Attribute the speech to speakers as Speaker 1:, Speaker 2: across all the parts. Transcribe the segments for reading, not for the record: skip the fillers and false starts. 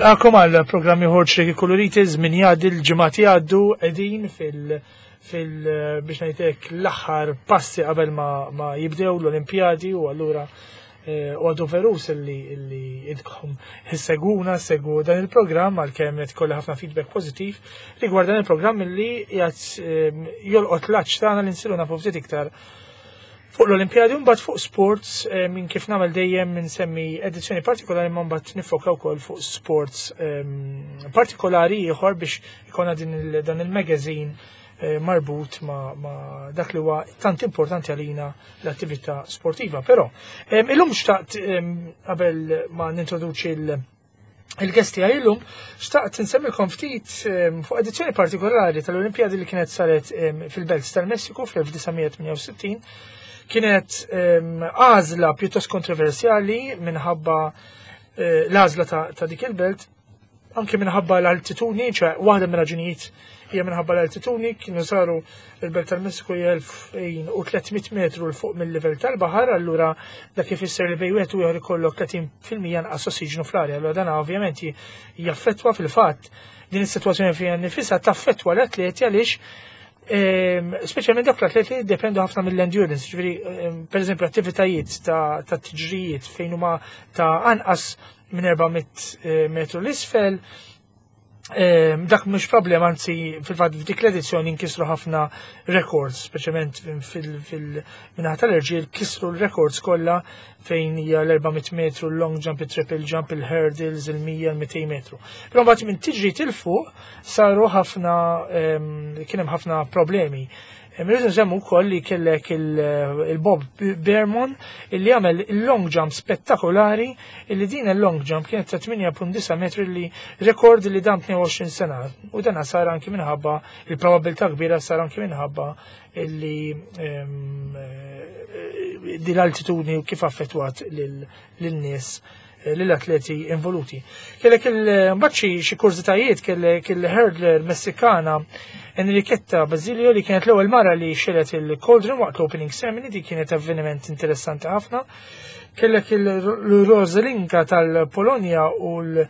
Speaker 1: Nilqakom għal programm ieħor ċreki koloriti, żmien jgħaddi l-ġimgħat jgħaddu qegħdin fil- fil biex ngħidlek l-aħħar passi qabel ma, ma jibdew l-Olimpjadi u allura eh, u għadu verus illi illi idkom seguna segu dan il-programm għalkemm qed kolli ħafna feedback pożittiv rigward dan il-programm illi qiegħed eh, jolqot l-aċ tagħna li nsiru nafu ftit iktar Fuq l-Olimpjadi mbagħad fuq sports eh, minn kif nagħmel dejjem nsemmi edizzjoni partikolari ma mbagħad nifoka wkoll fuq sports ehm, partikolari ieħor biex ikonna din dan il-magazine eh, marbut ma, ma dak li huwa tant importanti għalina l-attività sportiva. Però ehm, illum xtaqt ehm, qabel ma nintroduċi l- Il-guest tiegħi illum xtaqt insemmilkom ftit ehm, fuq edizzjoni partikolari tal-Olimpjadi li kienet saret ehm, fil-Belt tal-Messiku fl-1968. Kienet ehm, għażla pjuttost kontroversjali minħabba eh, l-għażla ta' dik il-belt anke minħabba l-altitudni, ċe waħda minn raġunijiet hija minħabba l-altitudni, kienu saru il-Belt tal-Messiku hija 2300 metru l fuq mill-livell tal-baħar, allura dak ifisser li bejn wieħed u ieħor ikollok 30% anqas ossiġnu fl-arja. Allura dan ovvjament jaffettwa fil-fatt din is-sitwazzjoni fiha nifisha taffettwa l-atleti għaliex ehm, speċjalment dak l-atleti li jiddependu ħafna mill-endurance, ġifieri ehm, pereżempju attivitajiet ta' tiġrijiet fejn huma ta' anqas minn 400 eh, metru l-isfel, Ehm, dak mhux problema, anzi fil-fatt f'dik l-edizzjoni nkisru ħafna records, speċjalment fil-minħa tal-irġiel kisru l-records kollha fejn hija l-400 metru, l-long jump, il-triple jump, il-hurdles, il-100, il-200 metru. Però mbagħad minn tiġri til fuq saru ħafna ehm, kien hemm ħafna problemi. Irridu nsemmu wkoll li kellek il-Bob Bermon illi għamel il-long jump spettakolari illi din il-long jump kienet ta' 8.9 metri li rekord li dam 22 sena u dan sar anki minħabba il-probabilità kbira sar anki minħabba illi ehm, eh, din l-altitudni u kif affettwat lil-nies eh, lill-atleti involuti. Kellek il-mbaċċi xi kurżitajiet kellek il-hurdler Messikana Enriqueta Basilio li kienet l-ewwel mara li xelet il-Cauldron waqt l-opening ceremony di kienet avveniment interessanti ħafna. Kellek il-Rosalinka tal-Polonja u l-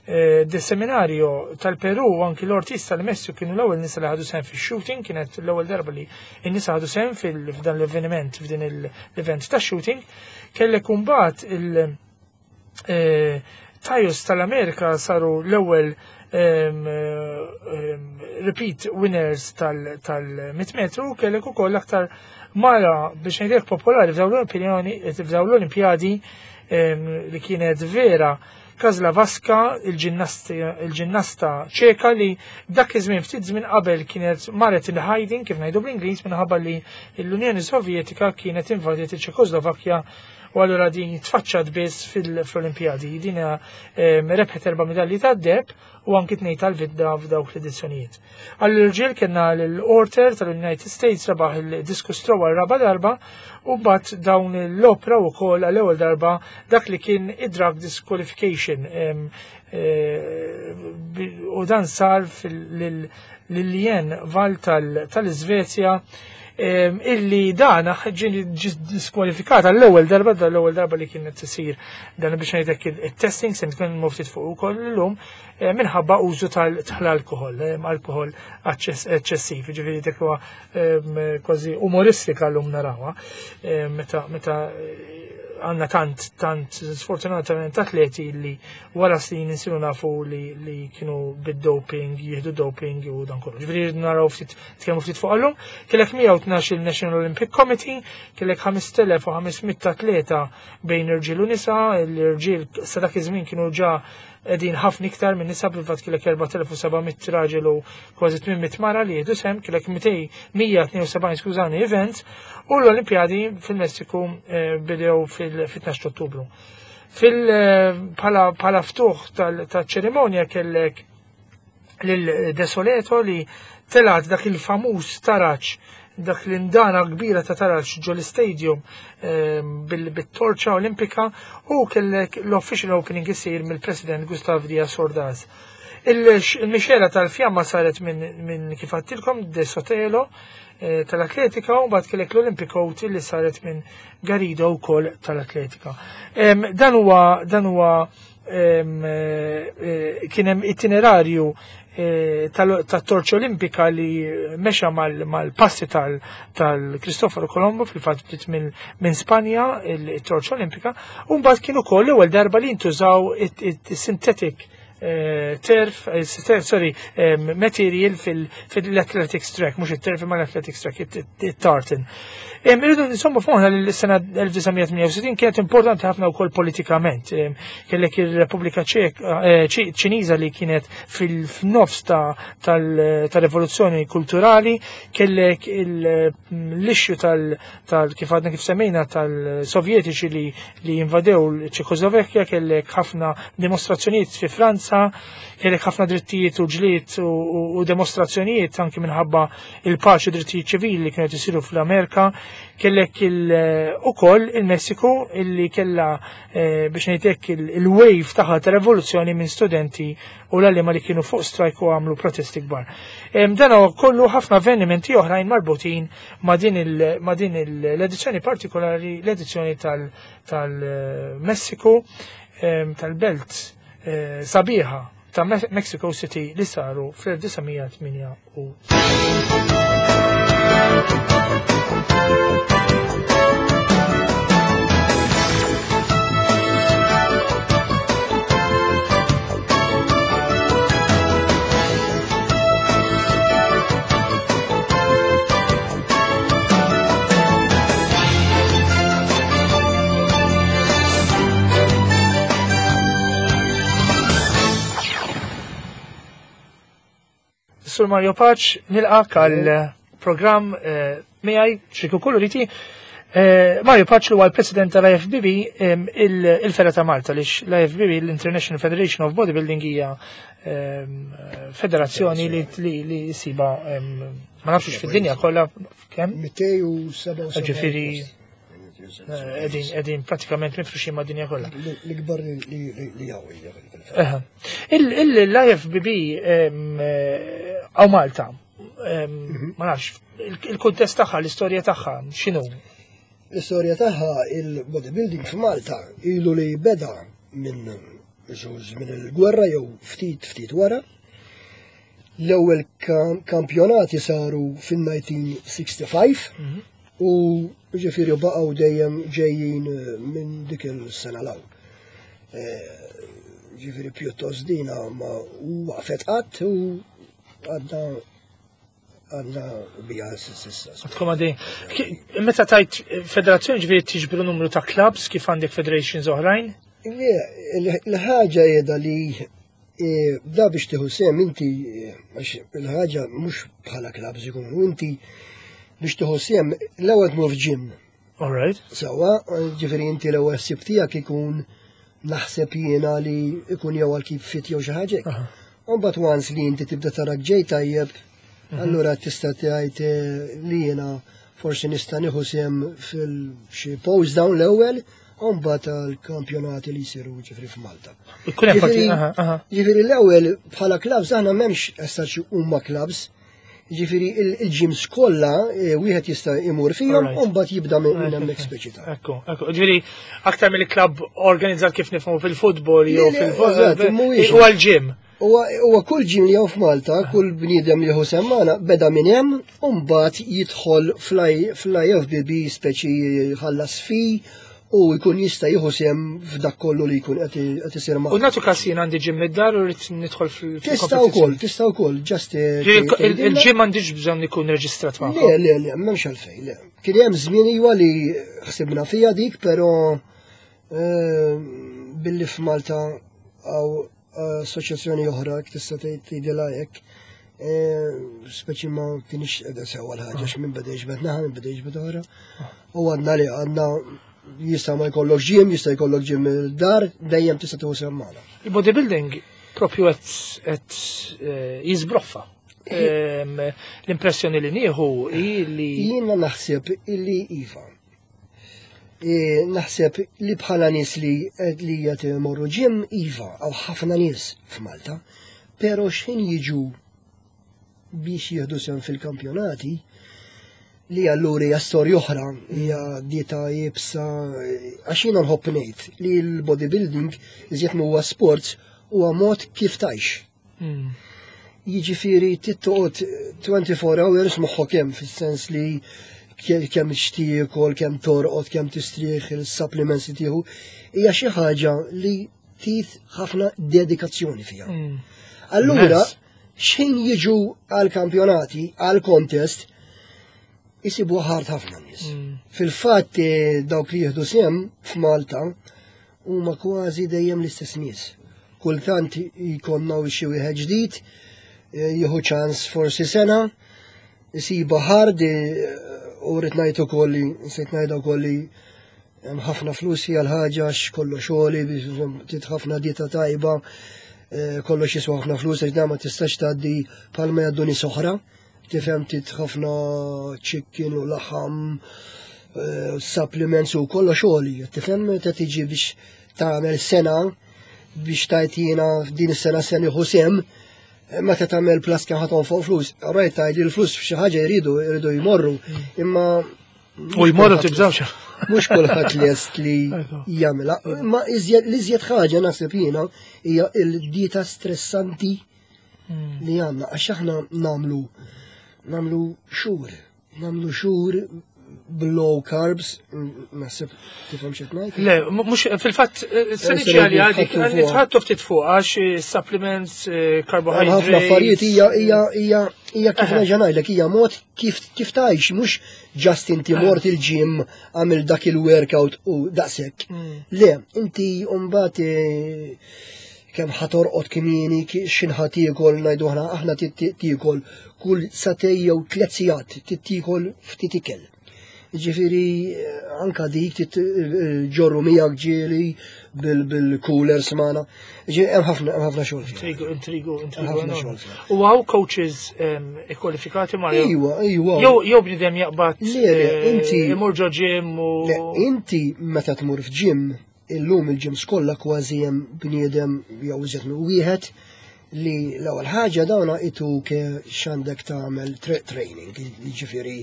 Speaker 1: eh, De Seminario tal-Peru u anki l-Ortiz tal-Messiku kienu l-ewwel nisa li ħadu sehem fix-shooting, kienet l-ewwel darba li n-nisa ħadu sehem f'dan l-avveniment f'din l-event ta' shooting. Kellek imbagħad il- eh, Tajus tal-Amerika saru l-ewwel repeat winners tal-100 metru kellek ukoll aktar mara biex ngħidlek popolari f'dawn l-opinjoni f'dawn l-Olimpjadi li kienet vera Kazla Vaska, il-ġinnasta ċeka li dak iż-żmien ftit żmien qabel kienet marret il-hiding kif ngħidu bl-Ingliż minħabba li l-Unjoni Sovjetika kienet invadiet iċ-Ċekoslovakkja u allura din tfaċċat biss fil-Olimpjadi. Din rebħet erba' medalji tad-deheb u anki tnejn tal-vidda f'dawk l-edizzjonijiet. Għall-irġiel kellna l-Orter tal-United States rebaħ il-discus throw għal raba darba u mbagħad dawn l-opra wkoll għall-ewwel darba dak li kien id-drug disqualification eh, u dan sar lil-Lien Val tal-Iżvezja illi dan ġi diskwalifikata l-ewwel darba l-ewwel darba li kienet tisir dan biex ngħidlek it-testing se nitkellmu ftit fuq ukoll illum eh, minħabba użu tal-alkohol, alkohol eċċessiv, ġifieri dik huwa kważi umoristika llum narawha meta meta għanna tant, tant sfortunatament atleti li wara snin insiru nafu li, li kienu bid-doping, jihdu doping u dan kollu. Ġifieri naraw ftit tkellmu ftit fuq allum, kellek 112 il-National Olympic Committee, kellek 5500 atleta bejn irġiel u nisa, l-irġiel sa dak iż-żmien kienu ġa qegħdin ħafna iktar minn nisa fil-fatt kellek 4700 raġel u kważi 800 mara li jieħdu sem, kellek 172 skużani event u l-Olimpjadi fil-Messiku eh, bidew fil-12 Ottubru. Fil eh, bħala ftuħ tal-ċerimonja kellek lil Desoleto li telat dak il-famuż taraġ dak l-indana kbira ta' taraġ ġo l-istadium ehm, bil-torċa olimpika u kellek l-official opening isir mill-President Gustav Diaz Ordaz. Il-mixela tal-fjamma saret minn kif għattilkom De Sotelo eh, tal-atletika u mbagħad kellek l-Olympic Oath li saret minn Garrido wkoll tal-atletika. Ehm, dan huwa dan huwa Kien hemm itinerarju tat-torċa olimpika li mexa mal-passi tal-Cristoforo Colombo, fil-fatt bdiet minn Spanja il-torċa olimpika, u mbagħad kien ukoll l-ewwel darba li ntużaw it-synthetic turf, sorry, material fil-athletics track, mhux it-turf imma l-athletics track, it-tartan. Irridu insomma f'moħħna li l-sena 1968 kienet importanti ħafna wkoll politikament. Kellek ir-Repubblika Ċiniża li kienet fil-nofs tal-rivoluzzjoni kulturali, kellek l-issue tal kif għadna kif semmejna tal-Sovjetiċi li invadew l-Ċekoslovakkja, kellek ħafna dimostrazzjonijiet fi Franza, kellek ħafna drittijiet u ġlied u demostrazzjonijiet anki minħabba il-paċi u drittijiet ċivili li kienu isiru fl-Amerika, kellek ukoll il-Messiku illi kella biex ngħidlek il-wave tagħha ta' revoluzzjoni minn studenti u l-għalliema li kienu fuq strajk u għamlu protesti kbar. Dan huwa kollu ħafna avvenimenti oħrajn marbutin ma' din l-edizzjoni partikolari, l-edizzjoni tal-Messiku, tal-belt sabiħa ta' Mexico City li saru fl-1968. Sur Mario Pace, nilqak għal programm miegħi Ċriku Koloriti. Mario Pace huwa l-President tal-IFBB il-Fera ta' Malta, lix l-IFBB, l-International Federation of Bodybuilding, hija federazzjoni li siba ma nafx fid-dinja kollha kemm?
Speaker 2: 277.
Speaker 1: Ġifieri qegħdin pratikament mifruxin mad-dinja kollha.
Speaker 2: L-ikbar li hawn hija fil-fatt.
Speaker 1: L-IFBB għaw Malta, ma nafx, il-kuntest tagħha, l-istorja tagħha, x'inhu?
Speaker 2: L-istorja tagħha il-bodybuilding f'Malta ilu li beda minn żmien il-gwerra jew ftit ftit wara. L-ewwel kampjonati saru fin-1965 u ġifieri baqgħu dejjem ġejjin minn dik il-sena l-hawn. Ġifieri pjuttost dina ma waqfet qatt u għadna bija s'issa.
Speaker 1: Għadkom għaddej. Meta tajt federazzjoni ġifieri tiġbru numru ta' clubs kif għandek federations oħrajn?
Speaker 2: Le, il-ħaġa qiegħda li da biex tieħu sehem inti, għax il-ħaġa mhux bħala clubs ikunu, inti biex tieħu sehem l-ewwel tmur f'gym.
Speaker 1: All right.
Speaker 2: Sewwa, ġifieri inti l-ewwel ħsieb tiegħek ikun naħseb jiena li ikun jew għal kif fit jew xi ħaġa hekk. U mbagħad once li inti tibda tarak ġej tajjeb, allura tista' tgħid li jiena forsi nista' nieħu sehem fil-xi pose down l-ewwel, u mbagħad għall-kampjonati li jsiru ġifieri f'Malta.
Speaker 1: Ikun hemm parti, aha, aha.
Speaker 2: Ġifieri l-ewwel bħala clubs aħna m'hemmx as such huma clubs. Ġifieri il-gyms kollha wieħed jista' imur fihom u mbagħad jibda minn hemmhekk speċi ta'.
Speaker 1: Ekku, ekku. Ġifieri aktar mill-klabb organizzat kif nifhmu fil-futbol jew
Speaker 2: Le, le,
Speaker 1: fil-futbol,
Speaker 2: eżatt, mhuwiex.
Speaker 1: huwa l-gym.
Speaker 2: Huwa kull gym li hawn f'Malta, kull bniedem li hu semmana beda minn hemm u mbagħad jidħol fl-IFBB speċi ħallas fi u jkun jista' jieħu sehem f'dak kollu li jkun qed isir
Speaker 1: U nagħtu każ jien għandi gym mid-dar u rrid nidħol
Speaker 2: Tista' wkoll, tista' wkoll, just,
Speaker 1: Ġifieri
Speaker 2: tgħidilna.
Speaker 1: il-gym m'għandix bżonn ikun reġistrat magħhom.
Speaker 2: Le, le, le, m'hemmx għalfejn, le. Kien hemm żmien iwa li ħsibna fiha dik, però billi f'Malta hawn assoċjazzjoni oħra tista' tgħidilha hekk, speċi ma kienx qiegħda sewwa l-ħaġa x'min beda jiġbed naħa, min beda jiġbed oħra. U għadna li għadna jista' ma jkollok gym, jista' jkollok gym id-dar, dejjem tista' tieħu sehem magħna.
Speaker 1: Il-bodybuilding propju qed jiżbroffa. L-impressjoni li nieħu hi li
Speaker 2: Jiena naħseb illi iva. Naħseb li bħala nies li qed imorru gym iva, hawn ħafna nies f'Malta, però x'ħin jiġu biex jieħdu sehem fil-kampjonati, Li allura hija storja oħra, hija dieta iebsa, għax jiena nħobb ngħid li l-bodybuilding iżjed huwa sports huwa mod kif tgħix. Jiġifieri trid toqgħod 24 hours moħħok hemm fis-sens li kemm xtiekol, kemm torqod, kemm tistrieħ, il-supplements li tieħu, hija xi ħaġa li trid ħafna dedikazzjoni fiha. Allura, x'ħin jiġu għal-kampjonati, għal-contest, jisibu hard ħafna nies. Fil-fatt dawk li jieħdu sehem f'Malta huma kważi dejjem l-istess nies. Kultant jkollna xi wieħed ġdid, jieħu ċans forsi sena, jisiba hard u rrid ngħid ukoll li nsejt ngħidha wkoll li hemm ħafna flus hija l-ħaġa għax kollox għoli biex trid ħafna dieta tajba, kollox jiswa ħafna flus għax dan ma tistax tgħaddi bħalma jgħaddu nies oħra. Tifhem trid ħafna chicken u laħam, supplements u kollox għoli. Tifhem meta tiġi biex tagħmel sena biex tajt jiena f'din is-sena se nieħu sehem, meta tagħmel plus kemm ħa tonfoq flus, rajt tgħid li l-flus f'xi ħaġa jridu jmorru, imma
Speaker 1: U jmorru tibżawx.
Speaker 2: Mhux kulħadd lest li jagħmilha. Ma l-iżjed ħaġa naħseb jiena hija l-dieta stressanti li għandna għax aħna nagħmlu xhur, nagħmlu xhur low carbs, naħseb tifhem x'qed ngħid.
Speaker 1: Le, mhux fil-fatt, se niġi għalli għadik, nitħattu ftit fuq għax supplements, carbohydrates.
Speaker 2: Ħafna affarijiet hija kif nerġa' ngħidlek, hija mod kif tgħix, mhux just inti mort il-gym għamil dak il-workout u daqshekk. Le, inti mbagħad kemm ħa torqod kmieni, x'inħa ħa tiekol, ngħidu aħna tiekol kull sagħtejn jew 3 sigħat, tiekol ftit ikel. Ġifieri anka dik ġorru miegħek ġieli bil-coolers magħna. Ġifieri hemm ħafna xogħol fiha.
Speaker 1: Intrigu, intrigu, intrigu.
Speaker 2: Hemm ħafna xogħol fiha.
Speaker 1: U hawn coaches ikkwalifikati Mario?
Speaker 2: Iwa, iwa.
Speaker 1: Jew bniedem jaqbad,
Speaker 2: Le, le, inti
Speaker 1: imur ġo gym u
Speaker 2: Le, inti meta tmur f'gym, illum il-gyms kollha kważi hemm bniedem jew iżjed minn wieħed li l-ewwel ħaġa dawna ituk x'għandek tagħmel training, jiġifieri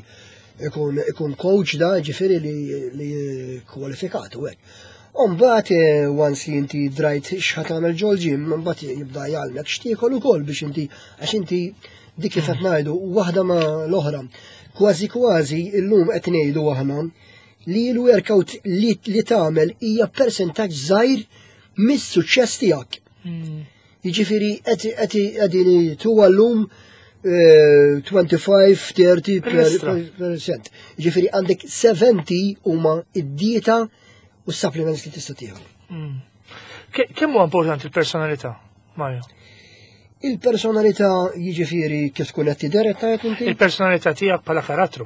Speaker 2: ikun coach da, jiġifieri li kwalifikat u hekk. U mbagħad once li inti drajt x'ħa tagħmel ġol gym, mbagħad jibda jgħallmek x'tiekol ukoll biex inti, għax inti dik kif qed ngħidu waħda ma l-oħra. Kważi kważi illum qed ngħidu aħna li l-workout li tagħmel hija persentaġġ żgħir mis-suċċess tiegħek. Jiġifieri qegħdin tuwa llum 25, 30 percent. Jiġifieri għandek 70 huma id-dieta u s-supplements li tista' tieħu.
Speaker 1: Kemm huwa importanti l-personalità, Mario?
Speaker 2: Il-personalità jiġifieri kif tkun qed tidher qed tgħid inti?
Speaker 1: Il-personalità tiegħek bħala karattru.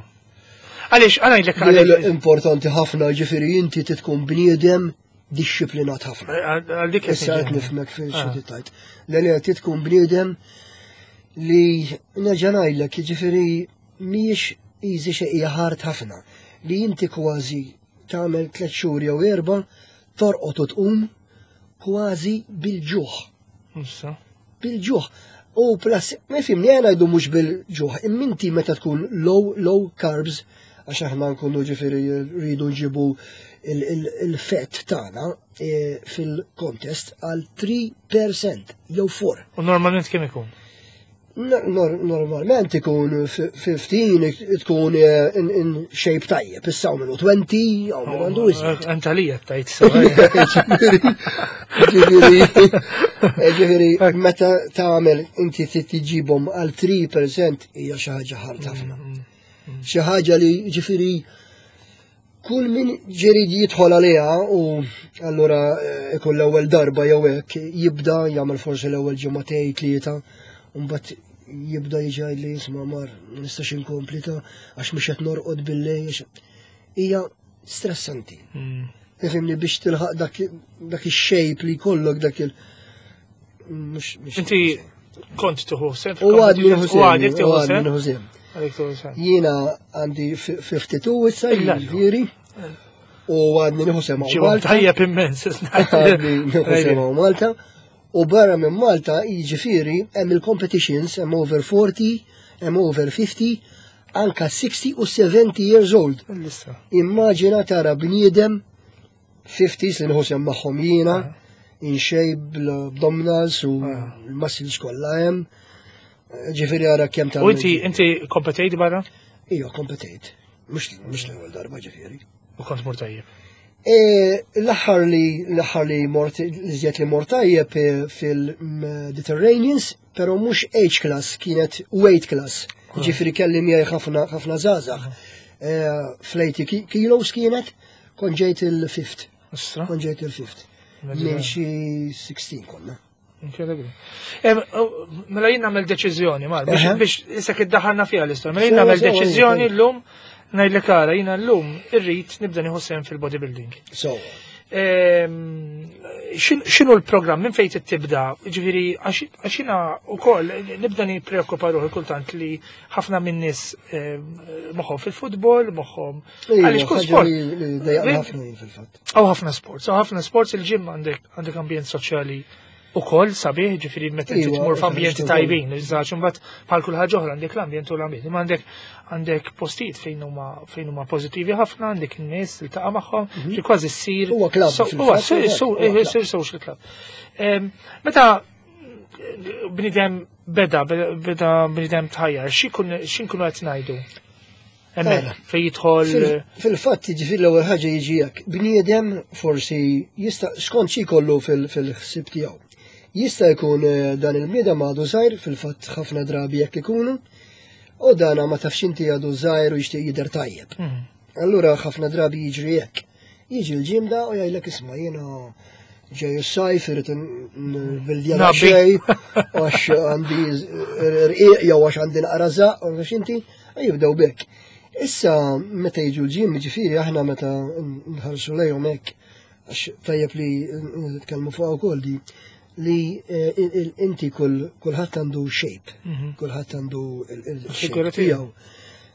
Speaker 1: Għaliex, għana jgħidlek
Speaker 2: Li
Speaker 1: għaliex.
Speaker 2: Importanti ħafna, ġifieri inti tkun bniedem dixxiplinat ħafna.
Speaker 1: Għal dik qed
Speaker 2: Issa qed
Speaker 1: niġi.
Speaker 2: nifhmek fil xi tgħid. Le, le, trid tkun bniedem li nerġa' ngħidlek, jiġifieri mhijiex easy xejn, hija hard ħafna. Li inti kważi tagħmel 3 xhur jew 4 torqod u tqum kważi bil-ġuħ.
Speaker 1: Issa.
Speaker 2: Bil-ġuħ. U plus, ma fimni għana jdu mux bil-ġuħ, imminti meta tkun low carbs, għax aħna nkunu ġifieri rridu nġibu il-fett tagħna fil-contest għal 3% jew 4.
Speaker 1: U normalment kemm ikun?
Speaker 2: Normalment ikun 15, tkun in shape tajjeb, issa hawn minnu 20, hawn minnu għandu iżjed.
Speaker 1: Antalija tajt sewa.
Speaker 2: Ġifieri, meta tagħmel inti trid tiġibhom għal 3% hija xi ħaġa hard ħafna. Xi ħaġa li ġifieri kull min ġirid jidħol għaliha u allura ikun l-ewwel darba jew hekk jibda jagħmel forsi l-ewwel ġimagħtejn tlieta u mbagħad jibda jiġi jgħidli isma' mar ma nistax inkompli ta' għax mhux qed norqod bil-lejl, għax hija stressanti. Ifhimni biex tilħaq dak ix-shape li jkollok dak il- mhux, mhux
Speaker 1: Inti kont tieħu sehem
Speaker 2: U għadni nieħu
Speaker 1: U għadek
Speaker 2: sehem,
Speaker 1: tieħu
Speaker 2: u għadni
Speaker 1: sehem?
Speaker 2: nieħu sehem.
Speaker 1: Għadek tieħu sehem.
Speaker 2: Jiena għandi 52 issa,
Speaker 1: Illa.
Speaker 2: jiġifieri, u għadni nieħu sehem hawn
Speaker 1: Ġibu
Speaker 2: Malta.
Speaker 1: Tajjeb immens, isna.
Speaker 2: Għadni nieħu sehem hawn Malta. U barra minn Malta, jiġifieri, hemm il-competitions, hemm over 40, hemm over 50, Anka 60 u 70 years old. Immaġina tara bniedem 50s li nħu sehem magħhom jiena, in shape bl-abdominals u l-muscles kollha hemm. Ġifieri ara kemm
Speaker 1: ta' U inti inti kompetejt barra?
Speaker 2: Ija, kompetejt. Mhux l-ewwel darba ġifieri.
Speaker 1: U kont mur tajjeb.
Speaker 2: E, l-aħħar li l-aħħar li mort li li mort tajjeb e, fil-Mediterraneans, però mhux age class, kienet weight class. Ġifieri kelli miegħi ħafna ħafna żgħażagħ. E, Fl-80 kilos kienet, kont ġejt il-fifth. Kont ġejt il-fifth. Minn xi 16 konna.
Speaker 1: Incredibli. Mela jien nagħmel deċiżjoni, mar, biex issa iddaħħalna fiha l-istorja. Mela jien nagħmel deċiżjoni llum ngħidlek ara jiena llum irrid nibda nieħu sehem fil-bodybuilding.
Speaker 2: So.
Speaker 1: X'inhu l-programm minn fejn tibda? Ġifieri għax jiena wkoll nibda nippreokkupa ruħi kultant li ħafna minn nies moħħhom fil-futbol, moħħhom
Speaker 2: għaliex kull sport. Ħafna fil-fatt.
Speaker 1: Hawn ħafna sports, hawn ħafna sports il-gym għandek għandek ambjent soċjali ukoll sabiħ, ġifieri meta inti tmur f'ambjenti tajbin, iżda imbagħad bħal kull ħaġa oħra għandek l-ambjent u l-ambjent. Imma għandek għandek postijiet fejn huma fejn huma pożittivi ħafna, għandek in-nies tiltaqa' magħhom, li kważi ssir.
Speaker 2: Huwa club.
Speaker 1: Huwa sir social club. Meta bnidem beda, beda bnidem tħajjar, x'inkunu qed ngħidu? Hemmhekk fejn jidħol.
Speaker 2: Fil-fatt jiġifieri l-ewwel ħaġa jiġi hekk. Bniedem forsi jista' skont xi jkollu fil-ħsieb tiegħu. Jista' jkun eh, dan il-bniedem għadu żgħir fil-fatt ħafna drabi jekk ikunu, u dana ma tafx inti għadu żgħir u jixtieq jidher tajjeb. Allura ħafna drabi jiġri hekk. Jiġi l-ġimda u jgħidlek isma' jiena ġej is-sajf irid nbildja xej għax għandi rqiq jew għax għandi naqra żaq u għax inti jibdew bek. Issa meta jiġu l-ġim ġifieri aħna meta nħarsu lejhom hekk għax tajjeb li nitkellmu fuq ukoll di li eh, inti kulħadd għandu shape, kulħadd għandu il-shape tiegħu.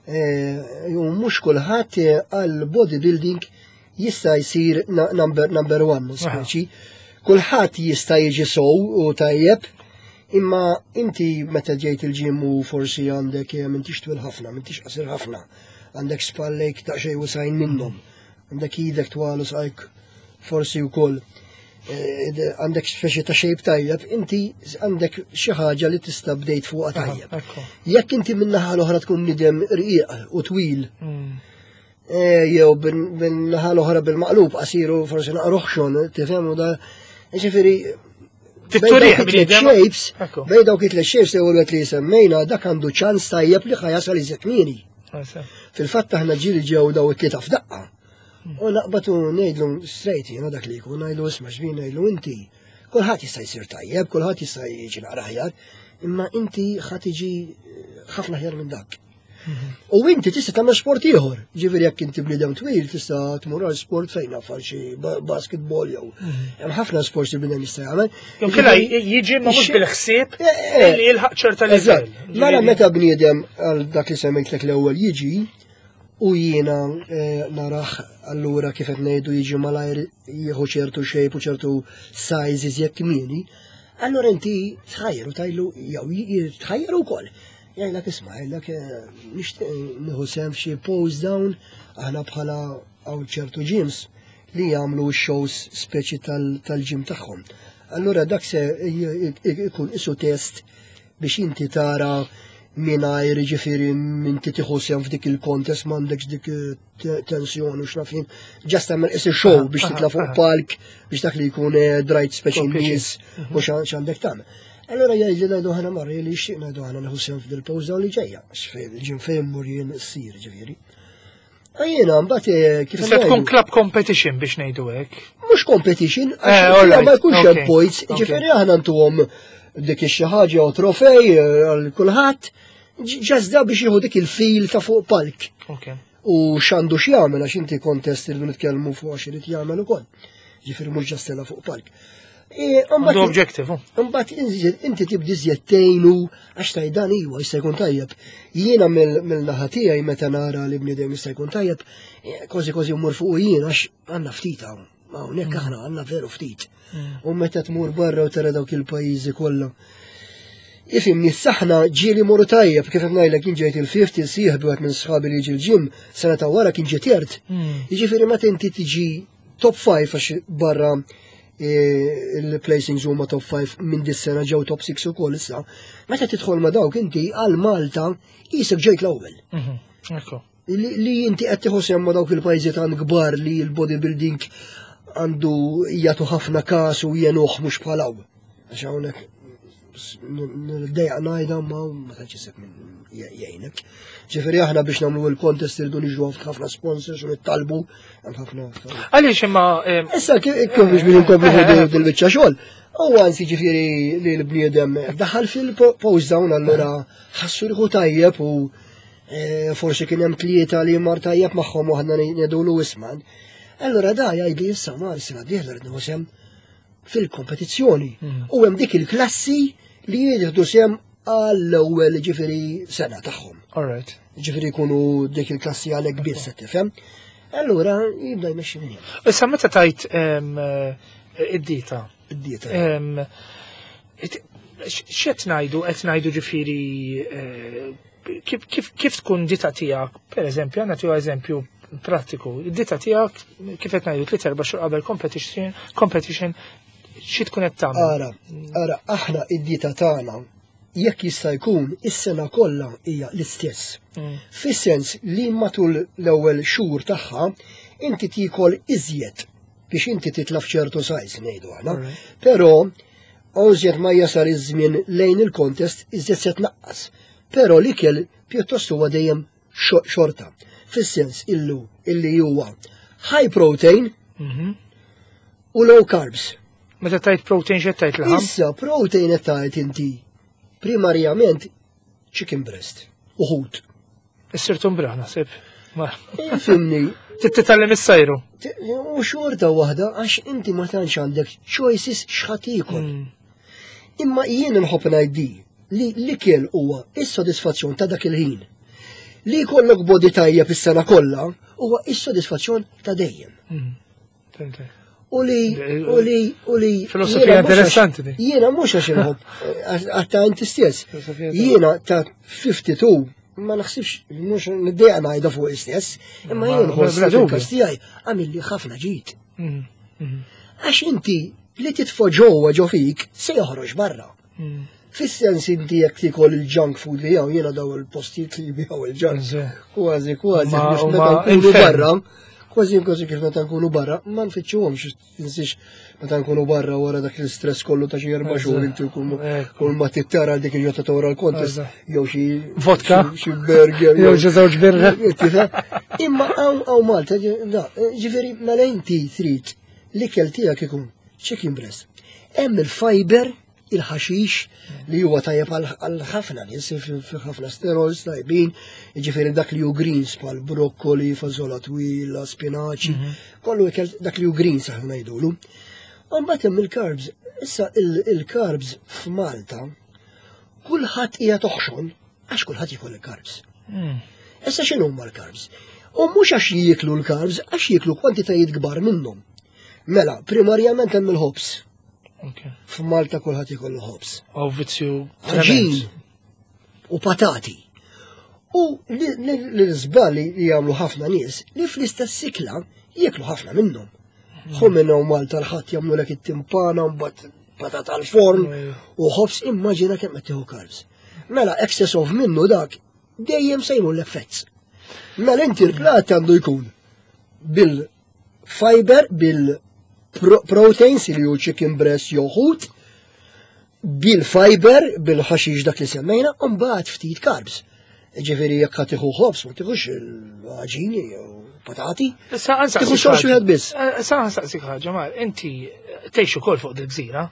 Speaker 2: Eh, u mhux kulħadd eh, għal bodybuilding jista' jsir number, number one, speċi. Kulħadd jista' jiġi sow u tajjeb, imma inti meta ġejt il-ġim u forsi għandek eh, m'intix twil ħafna, m'intix qasir ħafna, għandek spallejk daqsxejn wisajn minnhom, għandek idek twal u saqajk forsi wkoll eh, għandek speċi ta' shape tajjeb, inti għandek xi ħaġa li tista' bdejt fuqha tajjeb. Jekk inti min-naħa l-oħra tkun nidem rqiq u twil, eh, jew bin-naħa l-oħra bil-maqlub qasiru forsi naqruħxon, tifhem u da. Ġifieri
Speaker 1: shapes,
Speaker 2: bej dawk it shapes li għu li semmejna, dak għandu ċans tajjeb li ħajasal iżjed kmieni. Fil-fatt aħna ġieli ġew daw it-tlieta f'daqqa. U naqbad u ngħidlu straight jiena dak li jkun ngħidlu isma' xbin ngħidlu inti. Kulħadd jista' jsir tajjeb, kulħadd jista' jiġi naqra aħjar, imma inti ħa tiġi eh, ħafna aħjar minn dak. U inti tista' tagħmel sport ieħor. Ġifieri jekk inti bniedem twil tista' tmur għal sport fejn naf għal xi basketball jew. Hemm ħafna sports li bniedem jista' jagħmel.
Speaker 1: Jew killa jiġi ma mhux bil-ħsieb eh, eh. li jilħaq ċerta
Speaker 2: livell. Mela meta bniedem għal dak li semmejtlek l-ewwel jiġi u jiena eh, naraħ allura kif qed ngħidu jiġi malajr jieħu ċertu shape u ċertu size iżjed kmieni, allura inti tħajru tajlu jew tħajru wkoll. Jgħidlek isma' jgħidlek eh, nixtieq nieħu sehem f'xi pose down aħna bħala hawn ċertu gyms li jagħmlu shows speċi tal-gym tagħhom. Allura dak se ikun isu test biex inti tara mingħajr ġifieri inti tieħu sehem f'dik il-contest m'għandekx dik eh, tensjoni u x'naf jien. Just tagħmel isi show biex titla' fuq palk biex dak li jkun eh, drajt speċi nies u x'għandek tagħmel. Allora jgħidli ngħidu ħana marri li xieq ngħidu ħana nieħu sehem f'dil-pawża li ġejja, x'fejn il-ġim fejn mur jien ssir ġifieri. Jiena mbagħad eh,
Speaker 1: kif Se tkun club competition biex ngħidu hekk.
Speaker 2: Mhux competition, eh, għax ma jkunx hemm points, ġifieri aħna ntuhom dik xi ħaġa u trofej eh, għal kulħadd, ġazda biex jieħu dik il-fil ta' fuq palk. U x'għandu x'jagħmel għax inti kontest irridu nitkellmu fuq għax irid jagħmel ukoll. Ġifieri mhux ġastela fuq palk.
Speaker 1: E, għandu objective.
Speaker 2: Imbagħad inti tibdi żjed tgħinu għax tajdan iwa jista' jkun tajjeb. Jiena mill-naħa tiegħi meta nara li bniedem jista' jkun tajjeb, e, kważi kważi mmur fuq jien għax għandna ftit hawn. Hawnhekk aħna għandna veru ftit. U meta tmur barra u tara dawk il-pajjiżi kollha. Ifhimni, saħna ġieli morru tajjeb, kif qed ngħidlek jien ġejt il-fifth, il-sieħbi wieħed minn sħabi li jiġi l-gym, sena ta' wara kien ġie third. Jiġifieri meta inti tiġi top 5 għax barra eh, il-placings huma top 5 minn dis-sena ġew top 6 ukoll issa. Meta tidħol ma' dawk inti għal Malta qisek ġejt l-ewwel.
Speaker 1: Ekku.
Speaker 2: Li, li inti qed tieħu sehem ma' dawk il-pajjiżi tant kbar li l-bodybuilding għandu jagħtu ħafna każ u jenuh mhux bħal hawn. Għax hawnhekk niddejjaq ngħidha ma ma tantx isib min jgħinek. Ġifieri aħna biex nagħmlu il-contest irridu niġu ħafna sponsors u nittalbu hemm ħafna affarijiet.
Speaker 1: Għaliex imma
Speaker 2: Issa kif biex biex inkomplu fuq dil-biċċa xogħol. U għansi ġifieri li l-bniedem daħal fil-post down allura ħassu rħu tajjeb u eh, forsi kien hemm tlieta li mar tajjeb magħhom u aħna ngħidulu isman. Allura da jgħidli issa mar sena dieħla rrid nieħu sehem fil-kompetizzjoni. U hemm dik il-klassi li jieħdu sehem għall-ewwel ġifieri sena tagħhom.
Speaker 1: All right.
Speaker 2: Ġifieri jkunu dik il-klassi għalhekk biss qed tifhem. Allura jibda jmexxi minn hemm.
Speaker 1: Issa meta tajt id-dieta,
Speaker 2: Id-dieta.
Speaker 1: x'qed ngħidu qed ngħidu ġifieri eh, kif, kif, kif tkun dieta tiegħek, pereżempju, għandna tiegħu eżempju prattiku, id-dieta tiegħek kif qed ngħidu 3-4 xhur qabel competition, competition xi tkun qed tagħmel?
Speaker 2: Ara, ara, aħna id-dieta tagħna jekk jista' jkun is-sena kollha hija l-istess. Fis-sens li matul l-ewwel xhur tagħha inti tiekol iżjed biex inti titla' f'ċertu size ngħidu aħna. Però iżjed ma jasal iż-żmien lejn il-contest iżjed se tnaqqas. Però l-ikel pjuttost huwa dejjem xorta. Fis-sens illu illi huwa high protein u low carbs.
Speaker 1: Meta tajt protein x'qed tajt laħam?
Speaker 2: Issa protein qed tajt inti primarjament chicken breast u ħut.
Speaker 1: Issir tumbraħ naħseb. Ma
Speaker 2: Fhimni,
Speaker 1: titgħallem is-sajru.
Speaker 2: u xorta waħda għax inti ma tantx għandek choices x'ħa tiekol. Imma jien nħobb ngħid li l-ikel huwa is-sodisfazzjon ta' dak il-ħin. Li jkollok body tajjeb is-sena kollha huwa is-sodisfazzjon ta' dejjem.
Speaker 1: Fhimtek.
Speaker 2: U li, u li, u li.
Speaker 1: Filosofija
Speaker 2: jiena mhux għax-
Speaker 1: interessanti di.
Speaker 2: Jiena mhux għax inħobb, għatta inti stess.
Speaker 1: Filosofija
Speaker 2: Jiena ta' 52 ma naħsibx, mhux niddejjaq ngħidha fuq istess, imma
Speaker 1: Ma-
Speaker 2: jien nħoss
Speaker 1: bla
Speaker 2: li
Speaker 1: dubju.
Speaker 2: fil-każ tiegħi għamilli ħafna ġid. Għax inti li titfa' ġewwa ġo fik se joħroġ barra. Fis-sens inti jekk tikol il-junk food li jew jiena daw il-postijiet li jbiegħu il-junk. Kważi, kważi, kif
Speaker 1: Huma
Speaker 2: meta nkunu
Speaker 1: infern.
Speaker 2: barra, kważi kważi kif meta nkunu barra, ma nfittxuhomx tinsiex meta nkunu barra wara dak l-istress kollu ta' xi 4 xhur inti kull kull ma tittara dik il-ġota ta' wara l-contest jew xi
Speaker 1: Vodka.
Speaker 2: xi burger
Speaker 1: Jew xi żewġ birra.
Speaker 2: Tifhem? Imma hawn Malta, da, ġifieri mela inti trid l-ikel tiegħek ikun chicken breast. Hemm il-fiber, il-ħaxix li huwa tajjeb għal ħafna nies fi ħafna sterols tajbin, ġifieri dak li hu greens bħal brokkoli, fażola twila, spinaċi, kollu ikel dak li hu greens aħna ngħidulu. U mbagħad hemm il-carbs. Issa il-carbs f'Malta kulħadd hija toħxon għax kulħadd jiekol il-carbs. Issa x'inhu huma l-carbs? U mhux għax jieklu l-carbs, għax jieklu kwantitajiet kbar minnhom. Mela, primarjament hemm il-ħobż. F'Malta kulħadd jikollu ħobż.
Speaker 1: Aw vizzju
Speaker 2: Għaġin u patati. U l-żball li jagħmlu ħafna nies li fl-istess ikla jieklu ħafna minnhom. Ħu minnhom Malta l-ħadd jagħmlu lek it-timpana mbagħad patata al-forn u ħobż immaġina kemm qed tieħu carbs. Mela excess of minnu dak dejjem se jmur l-effett. Mela inti l-plat għandu jkun bil-fiber, bil-proteins li hu chicken breast jew ħut, bil-fiber, bil-ħaxix dak li semmejna, u mbagħad ftit carbs. Ġifieri jekk ħa tieħu ħobż, ma tieħux il-għaġini jew patati.
Speaker 1: Issa
Speaker 2: Tieħu xorx wieħed biss.
Speaker 1: Issa nsaqsik ħaġa, Mar, inti tgħix ukoll fuq dil-gżira.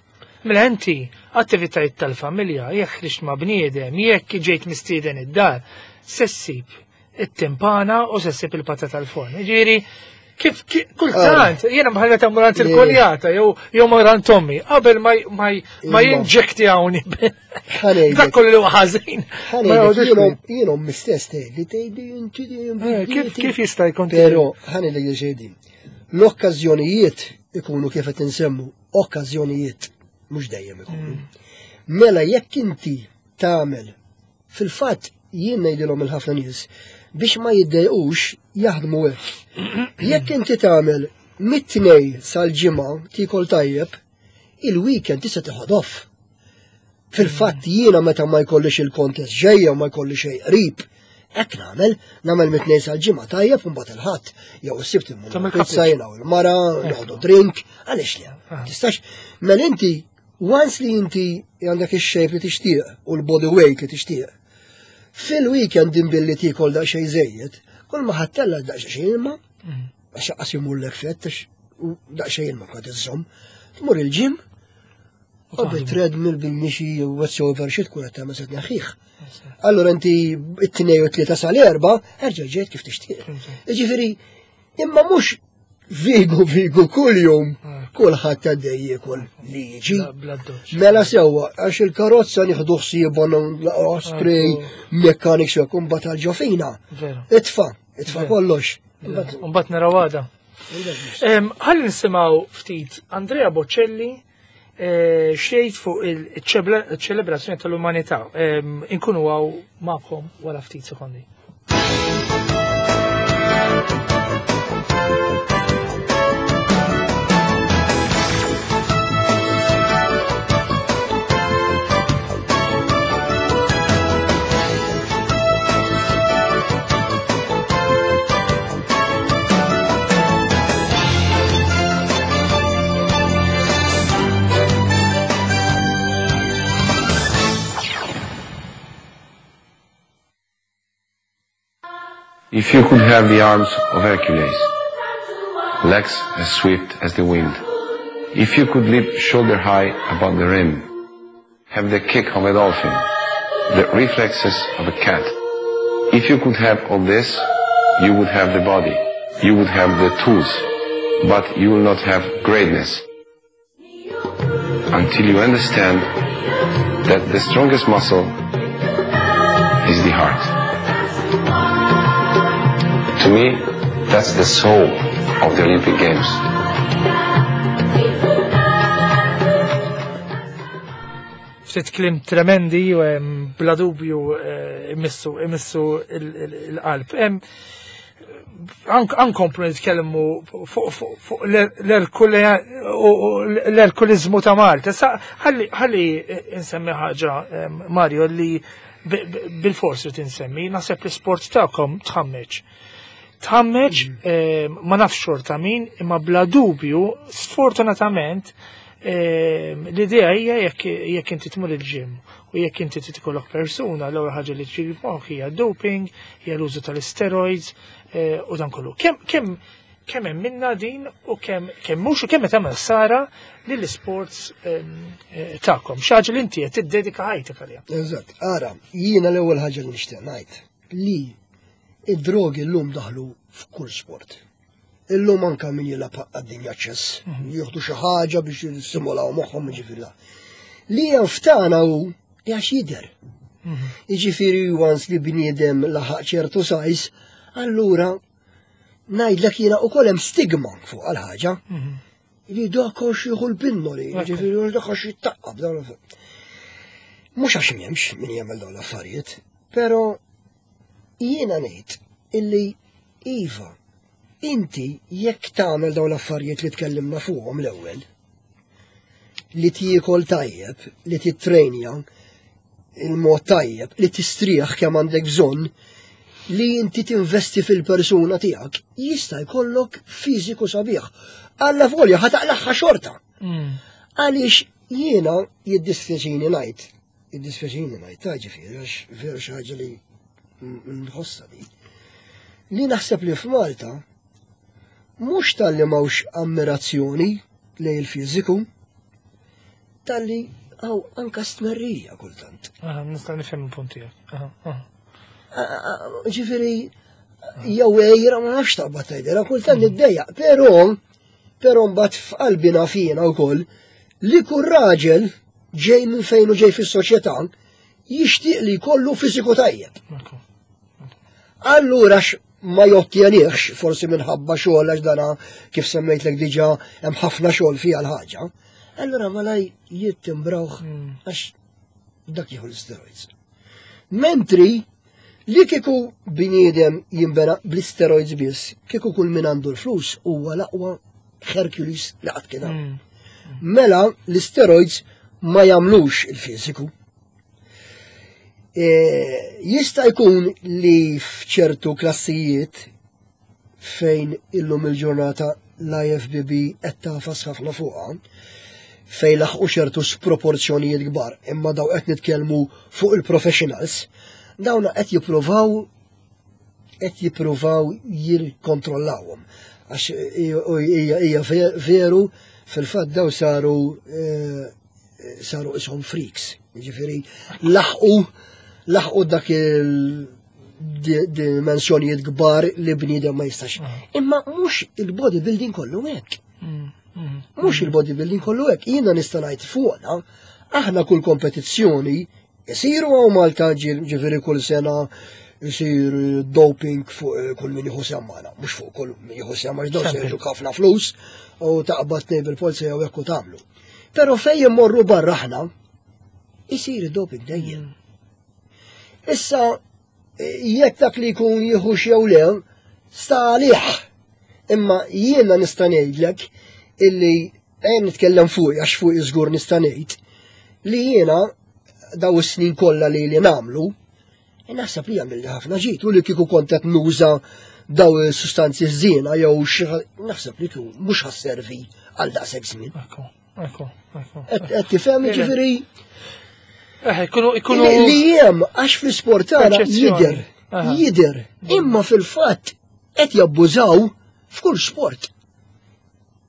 Speaker 1: Mela inti attivitajiet tal-familja, jekk ħriġt ma' bniedem, jekk ġejt mistieden id-dar, se ssib it-timpana u se ssib il-patata tal-forn. Ġifieri, kif kultant, jiena bħal meta mmur għand il-koljata jew jew mur għand ommi, qabel ma jinġektjawni.
Speaker 2: Ħa ngħidlek.
Speaker 1: Dak kollu li huwa ħażin.
Speaker 2: Ma
Speaker 1: jgħodux
Speaker 2: Jien ommi stess tgħidli tgħidli inti dejjem
Speaker 1: Kif jista' jkun
Speaker 2: Però ħa ngħidlek li xejn. L-okkażjonijiet ikunu kif qed insemmu, okkażjonijiet mhux dejjem ikunu. Mela jekk inti tagħmel. Fil-fatt jien ngħidilhom il-ħafna nies biex ma jiddejqux jaħdmu hekk. Jekk inti tagħmel mit-tnej sal-ġimgħa tiekol tajjeb, il-weekend tista' teħod off. Fil-fatt jiena meta ma jkollix il-kontest ġejja u ma jkolli xejn qrib, hekk nagħmel, nagħmel mit-tnejn sal-ġimgħa tajjeb u mbagħad il-ħadd jew is-sibt immur pizza jiena u l-mara, noħdu drink, għaliex le? Ah. Tistax, mela inti once li inti għandek ix-shape li tixtieq u l-body weight li tixtieq, fil-weekend din billi tiekol daqsxejn żejjed, kull ma ħattella daqsxejn ilma, mm. għax qas jmurlek fett, daqsxejn ilma kwa tiżżomm, tmur il-ġim, U bit-treadmill bil-mixi u whatsoever xi tkun qed tagħmel se tneħħih. Allura inti it-tnej u tlieta sal-erba' erġa' ġejt kif tixtieq. Jiġifieri imma mhux vigu vigu kuljum kulħadd għaddej jiekol li jiġi. Mela sewwa għax il-karozza nieħdu ħsiebha naqgħu spray mechanics jew kumbat għal ġofina. Itfa, itfa kollox.
Speaker 1: Mbagħad naraw għada. Ħalli nisimgħu ftit Andrea Bocelli eh, xejt fuq il-ċelebrazzjoni tal-umanità. Inkunu għaw magħkom wara ftit sekondi.
Speaker 3: If you could have the arms of Hercules, legs as swift as the wind, if you could leap shoulder high above the rim, have the kick of a dolphin, the reflexes of a cat. If you could have all this, you would have the body, you would have the tools, but you will not have greatness until you understand that the strongest muscle is the heart. To me, that's the soul of the Olympic Games.
Speaker 1: Ftit kliem tremendi u bla dubju eh, imissu imissu il-qalb. Ankomplu nitkellmu fuq l-erkulizmu ta' Malta. Ħalli insemmi ħaġa, Mario, li bil-forsi tinsemmi, naħseb l-sport tagħkom tħammeġ. Tħammeġ, mm. ma nafx xorta min, imma bla dubju, sfortunatament, l-idea hija jekk inti tmur il-ġim u jekk inti titkollok persuna, l-ewwel ħaġa li tġi f'moħħok hija doping, hija l-użu tal-steroids eh, u dan kollu. Kemm kemm kemm hemm minna din u kemm kemm mhux u kemm qed tagħmel ħsara lill-isports eh, tagħkom. Xi ħaġa li inti qed tiddedika ħajtek għaliha.
Speaker 2: Eżatt, ara, jiena l-ewwel ħaġa li nixtieq ngħid li id-drogi llum daħlu f'kull sport. Illum anka min jilgħab għad-dinja ċess, mhm. jieħdu xi ħaġa biex jissimulaw moħħhom ġifieri. Li hemm ftana hu li għax jidher. Mhm. Jiġifieri once li bniedem laħaq ċertu sajs, allura ngħidlek jiena ukoll hemm stigma fuq għal-ħaġa. Mhm. Li dak għax jieħu l-pinnoli, ġifieri dak għax jittaqqab dawn Mhux għax m'hemmx min jagħmel dawn l-affarijiet, però jiena ngħid illi iva, inti jekk tagħmel dawn l-affarijiet li tkellimna fuqhom l-ewwel, li tiekol tajjeb, li titrejnja il-mod tajjeb, li tistrieħ kemm għandek bżonn, li inti tinvesti fil-persuna tiegħek, jista' jkollok fiżiku sabiħ. Alla volja ħa taqlaħħa xorta. Mm. Għaliex jiena jiddispjaċini ngħid, jiddispjaċini ngħid, ta' ġifieri għax veru xi ħaġa li nħossa di. Li naħseb li f'Malta mhux talli m'hawnx ammirazzjoni lejn il-fiżiku, talli għaw anka stmerrija kultant.
Speaker 1: Nista' nifhem il-punt tiegħek.
Speaker 2: Ġifieri jew ejra ma nafx taqbad tgħidilha kultant mm. niddejjaq, però però mbagħad f'qalbi naf jiena wkoll li kull raġel ġej minn fejn u ġej fis-soċjetà jixtieq li jkollu fiżiku tajjeb. Allura ma jottjenihx forsi minħabba xogħol għax dana kif semmejtlek diġà hemm ħafna xogħol fiha l-ħaġa. Allura malaj jittimbrawh hmm. għax. Dak jieħu l-steroids. Mentri li kieku bniedem jinbena bl-steroids biss, kieku kull min għandu l-flus huwa l-aqwa Hercules li qatt kien hawn. Mela l-steroids ma jagħmlux il-fiżiku. Jista' jkun li f'ċertu klassijiet fejn illum il-ġurnata l-IFBB qed tagħfas ħafna fuqha, fejn laħqu ċertu sproporzjonijiet kbar, imma daw qed nitkellmu fuq il-professionals, dawna qed jippruvaw jirkontrollawhom. Għax hija veru, fil-fatt daw saru ishom freaks. Ġifieri laħqu dak il dimensjonijiet kbar li bniedem ma jistax. Imma mhux il-bodybuilding kollu hekk. Mhux il-bodybuilding kollu hekk. Jiena nista' ngħid fuqna, aħna kull kompetizzjoni jisiru hawn Malta, ġifieri kull sena jisir doping fuq kull min jieħu sehem magħna, mhux fuq kull min jieħu sehem, għax dawn se
Speaker 1: Sample.
Speaker 2: ħafna flus u taqbad tnejn bil-polza jew hekk u tagħmlu. Però fejn immorru barra aħna, isir doping dejjem. Issa, jekk dak li jkun jieħu jew le, sta għalih. Imma jiena nista' ngħidlek illi ejja nitkellem fuq, għax fuq żgur nista' ngħid li jiena daw is-snin kollha li nagħmlu, naħseb li għamil ħafna ġid u li kieku kont qed nuża daw is-sustanzi żiena jew xi naħseb li kieku mhux ħa sservi għal daqshekk żmien.
Speaker 1: Ekku.
Speaker 2: Qed tifhem, ġifieri
Speaker 1: Ikunu
Speaker 2: li jem għax fl-isport tagħna
Speaker 1: Perċezzjoni.
Speaker 2: jidher, jidher, imma fil-fatt qed jabbużaw f'kull sport.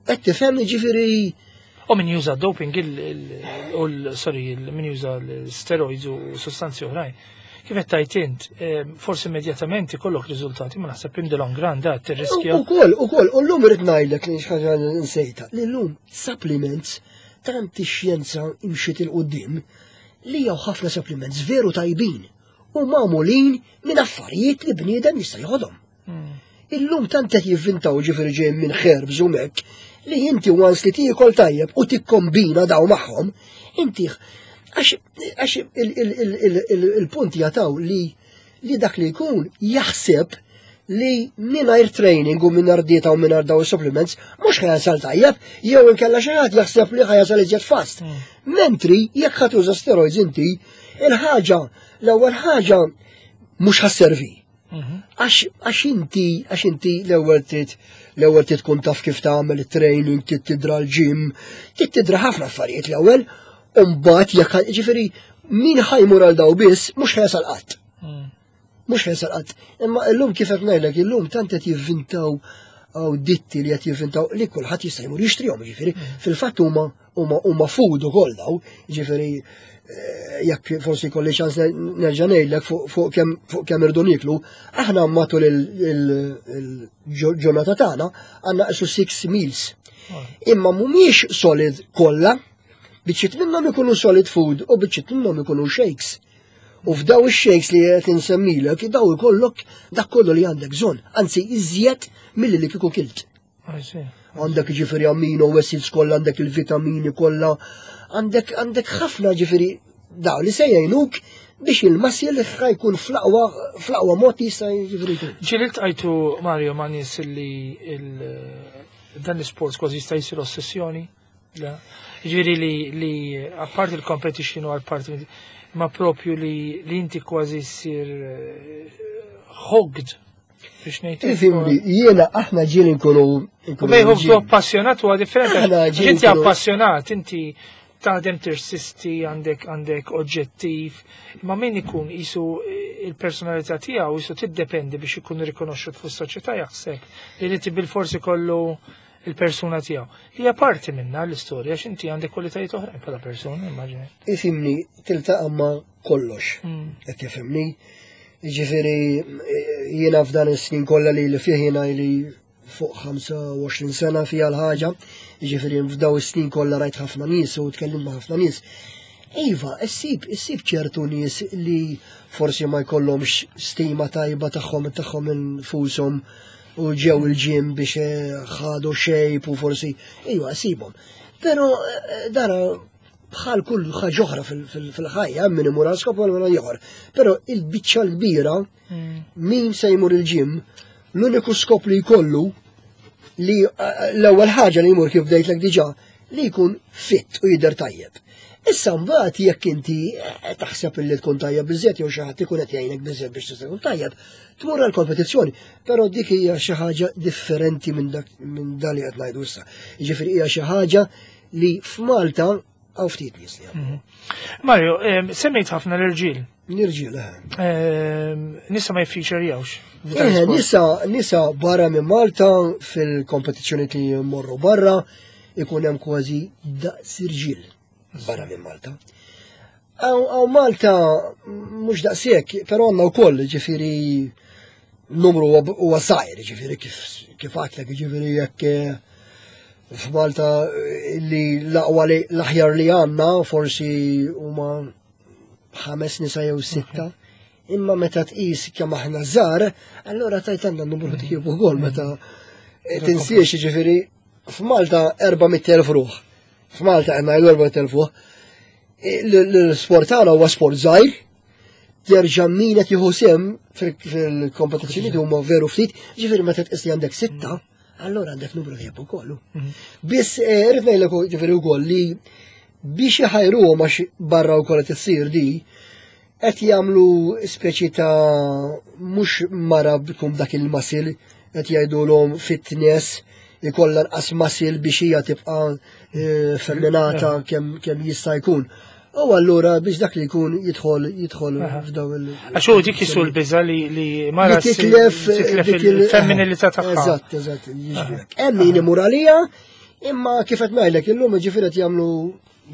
Speaker 2: Qed tifhem, ġifieri
Speaker 1: U min juża doping u sorry, min juża l-steroids u sostanzi oħrajn. Kif qed tajt int, forsi immedjatament ikollok riżultati, ma naħseb in the long run da tirriskja.
Speaker 2: Ukoll, u llum irrid ngħidlek li xi ħaġa nsejta, li llum supplements, tant ix-xjenza imxiet 'il quddiem li jew ħafna supplements veru tajbin u magħmulin minn affarijiet li bniedem jista' jħodhom. Illum tant qed jivvintaw, ġifieri ġej minn herbs u mek, li inti once li tiekol tajjeb u tikkombina daw magħhom, inti għax il-punt jataw li dak li jkun jaħseb li mingħajr training u mingħajr dieta u mingħajr daw supplements mhux ħa jasal tajjeb, jew inkella xi ħadd jaħseb li ħa jasal iżjed fast. Mentri jekk ħa tuża steroids inti, il-ħaġa, l-ewwel ħaġa, mhux ħa sservi. Għax inti l-ewwel trid tkun taf kif tagħmel it-training, trid tidra l-gym, trid tidra ħafna affarijiet l-ewwel, u mbagħad jekk, ġifieri min ħa jmur għal daw biss mhux ħa jasal qatt. Mhux ħa jasal qatt. Imma illum, kif qed ngħidlek, illum tant qed jivvintaw għaw ditti li qed jivvintaw li kulħadd jista' jmur jixtrihom, ġifieri fil-fatt huma food ukoll daw, ġifieri jekk forsi kolli ċans nerġa' ngħidlek fuq kemm irdu nieklu, aħna matul il-ġurnata tagħna għandna qisu six meals. Imma mhumiex solid kollha, biċċiet minnhom ikunu solid food u biċċiet minnhom ikunu shakes. U f'daw ix-shakes li qed insemmilek, daw ikollok dak kollu li għandek bżonn, anzi iżjed milli li kieku kilt.
Speaker 1: I see.
Speaker 2: Għandek ġifieri amino acids kollha, għandek il-vitamini kollha, għandek ħafna, ġifieri daw li se jgħinuk biex il-muscle ħa jkun fl-aqwa mod jista' ġifieri jkun.
Speaker 1: Ġieli ltqajtu, Mario, ma' nies li dan l-sports kważi jista' jsir ossessjoni? La. Ġifieri li apparti il-competition u apparti ma propju li inti kważi ssir hooked biex ngħid.
Speaker 2: Ifhimni, jiena aħna ġieli nkunu
Speaker 1: U bejn hooked u appassionat huwa differenti.
Speaker 2: Aħna ġieli
Speaker 1: Inti appassionat, inti taħdem, tirsisti, għandek oġġettiv, ma min ikun jisu il-personalità tiegħu jisu tiddependi biex ikun rikonoxxut fis-soċjetà, jaħseb li li bil-forsi kollu il-persuna tiegħu. Hija parti minna l-istorja, x'inti għandek kwalitajiet oħrajn bħala persuna, immaġini.
Speaker 2: Ifhimni, tiltaqa' ma' kollox. Qed tifhimni? Ġifieri jiena f'dan is-snin kollha li fih jiena li fuq 25 sena fija l-ħaġa, ġifieri f'daw is-snin kollha rajt ħafna nies u tkellimt ma' ħafna nies. Iva, issib ċertu nies li forsi ma jkollhomx stima tajba tagħhom infushom u ġew il-gym biex ħadu shape u forsi, iva, ssibhom. Però dara Bħal kull ħaġa oħra fil-ħajja, min imur għal skop u min ieħor. Però il-biċċa l-kbira, min se jmur il-gym, l-uniku skop li jkollu li l-ewwel ħaġa li jmur kif bdejtlek diġà li jkun fit u jidher tajjeb. Issa mbagħad jekk inti eh, taħseb li tkun tajjeb biżżejjed jew xi ħadd ikun qed jgħinek biżżejjed biex tista' tkun tajjeb, tmur għall kompetizzjoni però dik hija xi ħaġa differenti minn dak minn dan li qed ngħidu issa. Jiġifieri hija xi ħaġa li f'Malta hawn ftit nies li jagħmlu.
Speaker 1: Mario, semmejt ħafna l-irġiel.
Speaker 2: L-irġiel, eh.
Speaker 1: Nisa ma jiffiċerjawx.
Speaker 2: Eh, nisa, nisa barra minn Malta fil-kompetizzjoni li jmorru barra ikun hemm kważi daqs irġiel barra minn Malta. Għaw Malta mhux daqshekk, però għandna wkoll ġifieri numru huwa żgħir, ġifieri kif kif għadtlek, ġifieri jekk eh, f'Malta eh, li l-aqwa li l-aħjar li għandna forsi huma ħames nisa jew sitta. Imma meta tqis kemm aħna żgħar, allura tajt għandna numru tjib ukoll meta eh, tinsiex ġifieri f'Malta 400,000 ruħ. F'Malta għandna 400,000 ruħ. L-sport tagħna huwa sport żgħir, jerġa' min qed jieħu sehem fil-kompetizzjoni huma veru ftit, ġifieri meta tqis li għandek sitta, allura għandek numru tajjeb ukoll. Mhm. Biss eh, irrid ngħidlek ġifieri wkoll li biex iħajruhom għax barra wkoll qed issir di, qed jagħmlu speċi ta' mhux mara bkum dak il-masil qed jgħidulhom fitness ikollha nqas masil biex hija tibqa' eh, femminata kemm kemm jista' jkun. U allura biex dak li jkun jidħol jidħol f'daw il.
Speaker 1: Għax hu dik jisu l-biża li li mara
Speaker 2: titlef
Speaker 1: titlef il-femminilità tagħha.
Speaker 2: Eżatt, eżatt, Hemm min imur għalija, imma kif qed ngħidlek illum ġifieri qed jagħmlu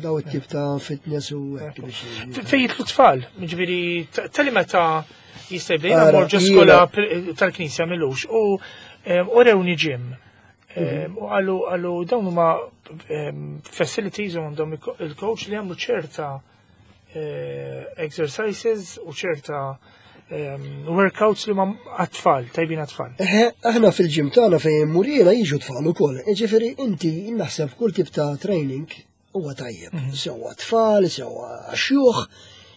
Speaker 2: daw it-tip ta' fitness u hekk
Speaker 1: biex. Fejn jitlu tfal, ġifieri tali meta jista' jibda mor ġo skola tal-knisja milux u urewni ġim. U għallu għallu dawn huma facilities u għandhom il-coach li għamlu ċerta eh, exercises u ċerta workouts li ma għat-tfal, tajbin għat-tfal.
Speaker 2: Aħna fil-ġim tagħna fejn murina jiġu tfal ukoll. Ġifieri inti naħseb kull tip ta' training huwa tajjeb. Mhm. Sewwa tfal, sewwa xjuħ,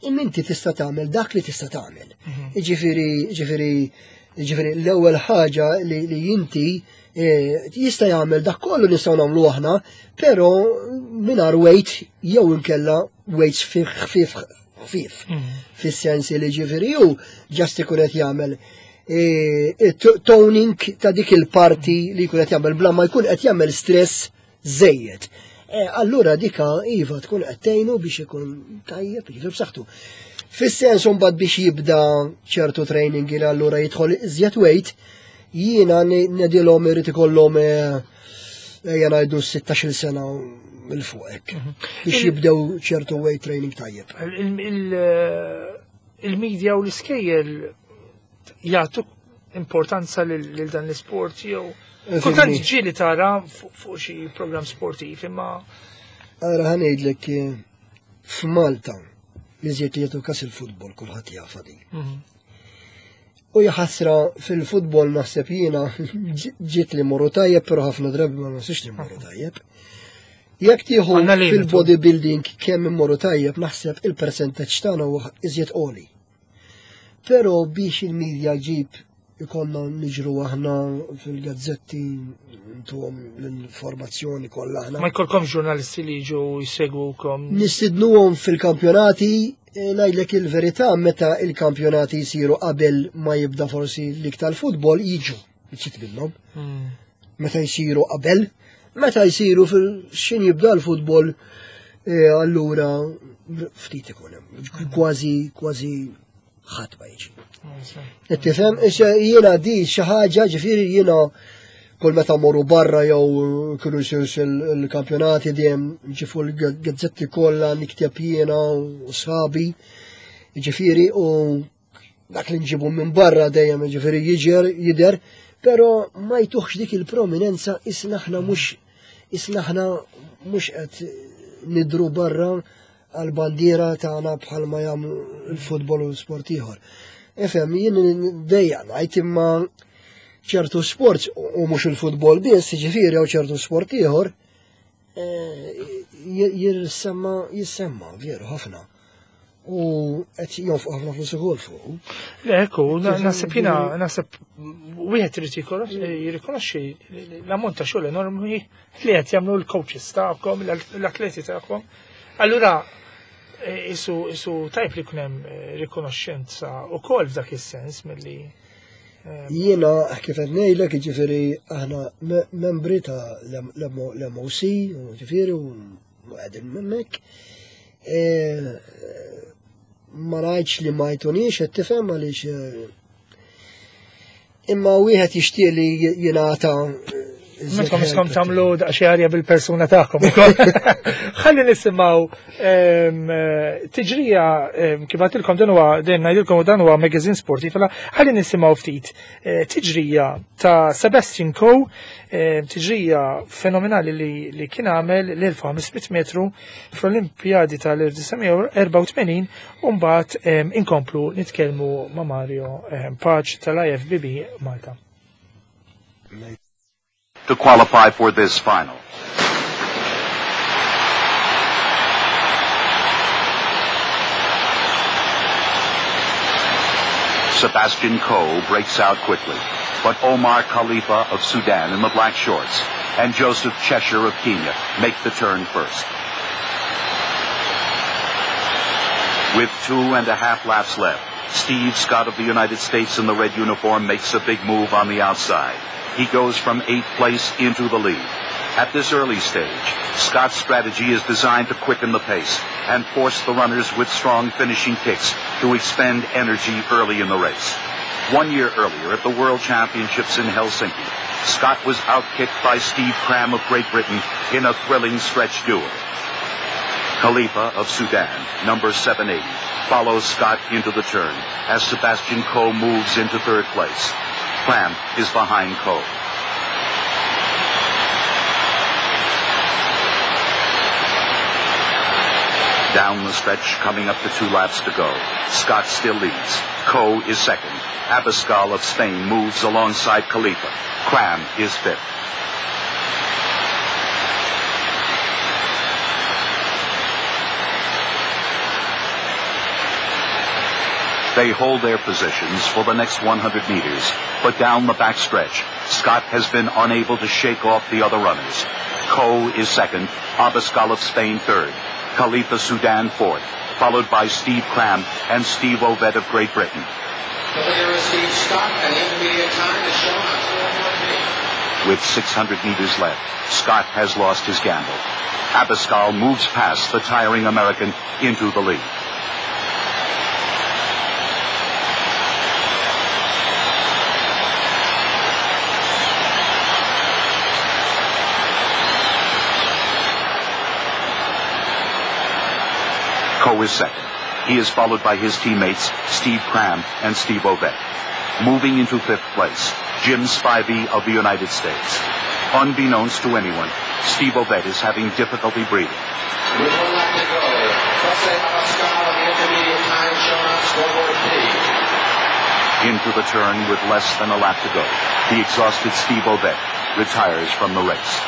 Speaker 2: imma inti tista' tagħmel dak li tista' tagħmel. Mhm. Ġifieri, ġifieri, ġifieri l-ewwel ħaġa li, li inti eh, jista' jagħmel dak kollu nistgħu nagħmlu aħna, però mingħajr weight jew inkella weights ħfief ħfief. Mhm. Fis-sens li ġifieri hu ġast ikun qed jagħmel eh, toning ta' dik il-parti li jkun qed jagħmel bla ma jkun qed jagħmel stress żejjed. Eh, allura dika iva tkun qed tgħinu biex ikun tajjeb, jiġifieri b'saħħtu. Fis-sens imbagħad biex jibda ċertu training li allura jidħol iżjed weight, jiena nedilhom irid ikollhom eh, ejja ngħidu 16-il sena il fuq hekk. Mhm. Biex jibdew ċertu weight training tajjeb.
Speaker 1: Il-media u l-iskejjel jagħtu importanza lil dan l-isport jew eh, kultant ġieli tara fuq xi programm sportiv imma
Speaker 2: Ara ħanejdlek eh, f'Malta li żied li jagħtu kas il-futbol kulħadd jafa din. Mhm. U jaħasra fil-futbol naħseb jiena ġiet li morru tajjeb, però ħafna drabi ma naħsibx li morru tajjeb. Jekk tieħu fil-bodybuilding kemm immorru tajjeb naħseb il-percentaġġ tagħna huwa iżjed qoli. Però biex il-media ġib ikonna niġru aħna fil-gazzetti ntuhom l-informazzjoni kollha aħna.
Speaker 1: Ma jkollkom ġurnalisti li jiġu jsegwukom.
Speaker 2: Nistidnuhom fil-kampjonati, e, ngħidlek il-verità meta il-kampjonati jsiru qabel ma jibda forsi l-lig tal-futbol jiġu ftit minnhom. Hmm. Meta jsiru qabel, meta jsiru fil-xin jibda l-futbol, e, allura ftit ikun hemm. Kważi kważi ħadd ma jiġi. Qed tifhem, issa jiena di xi ħaġa ġifieri jiena kull meta morru barra jew kienu jsir il-kampjonati dejjem ġifu l-gazzetti kollha nikteb jiena u sħabi. Ġifieri u dak li nġibu minn barra dejjem ġifieri jiġer jidher, però ma jtuħx dik il-prominenza isna aħna mhux isna aħna mhux qed nidru barra għall-bandiera tagħna bħalma jagħmlu l-futbol u sport ieħor. Ifhem, jien dejja ngħid imma ċertu sports u mhux il-futbol biss, jiġifieri jew ċertu sport ieħor, Jirsemma, jissemma, veru, ħafna. U qed jonfqu ħafna flus ukoll fuq.
Speaker 1: Le, ekku, naħseb jiena, naħseb wieħed irid jirrikonoxxi l-ammont ta' xogħol enormi li qed jagħmlu l-coaches tagħkom, l-atleti tagħkom. Allura, isu tajb li jkun hemm rikonoxxenza wkoll f'dak is-sens milli.
Speaker 2: Jiena kif qed ngħidlek, jiġifieri aħna membri ta' l-MOC, jiġifieri u qegħdin hemmhekk. Ma ngħidx li ma jtunix, qed tifhem għaliex imma wieħed jixtieq li jingħata.
Speaker 1: Mentkom iskom tagħmlu daqsxejn arja bil-persuna tagħkom ukoll. Ħalli nisimgħu tiġrija kif għadtilkom dan huwa dejjem ngħidilkom dan huwa magazine sportiv, ħalli nisimgħu ftit tiġrija ta' Sebastian Coe, tiġrija fenomenali li kien għamel l-1500 metru fl-Olimpjadi tal-1984 u mbagħad inkomplu nitkellmu ma' Mario Pace tal-IFBB Malta.
Speaker 4: To qualify for this final. Sebastian Coe breaks out quickly, but Omar Khalifa of Sudan in the black shorts and Joseph Cheshire of Kenya make the turn first. With 2.5 laps left, Steve Scott of the United States in the red uniform makes a big move on the outside. He goes from 8th place into the lead. At this early stage, Scott's strategy is designed to quicken the pace and force the runners with strong finishing kicks to expend energy early in the race. 1 year earlier at the World Championships in Helsinki, Scott was outkicked by Steve Cram of Great Britain in a thrilling stretch duel. Khalifa of Sudan, number 780, follows Scott into the turn as Sebastian Coe moves into third place. Cram is behind Coe. Down the stretch, coming up to 2 laps to go. Scott still leads. Coe is second. Abascal of Spain moves alongside Khalifa. Cram is fifth. They hold their positions for the next 100 meters, but down the backstretch, Scott has been unable to shake off the other runners. Coe is second, Abascal of Spain third, Khalifa Sudan fourth, followed by Steve Cram and Steve Ovett of Great Britain.
Speaker 5: The leader is Steve Scott, and the intermediate time is shown on 4:14.
Speaker 4: With 600 meters left, Scott has lost his gamble. Abascal moves past the tiring American into the lead. Coe is second. He is followed by his teammates, Steve Cram and Steve Ovett. Moving into fifth place, Jim Spivey of the United States. Unbeknownst to anyone, Steve Ovett is having difficulty breathing.
Speaker 5: With 1 lap to go, Jose Abascal in the intermediate time shown on scoreboard P.
Speaker 4: Into the turn with less than a lap to go, the exhausted Steve Ovett retires from the race.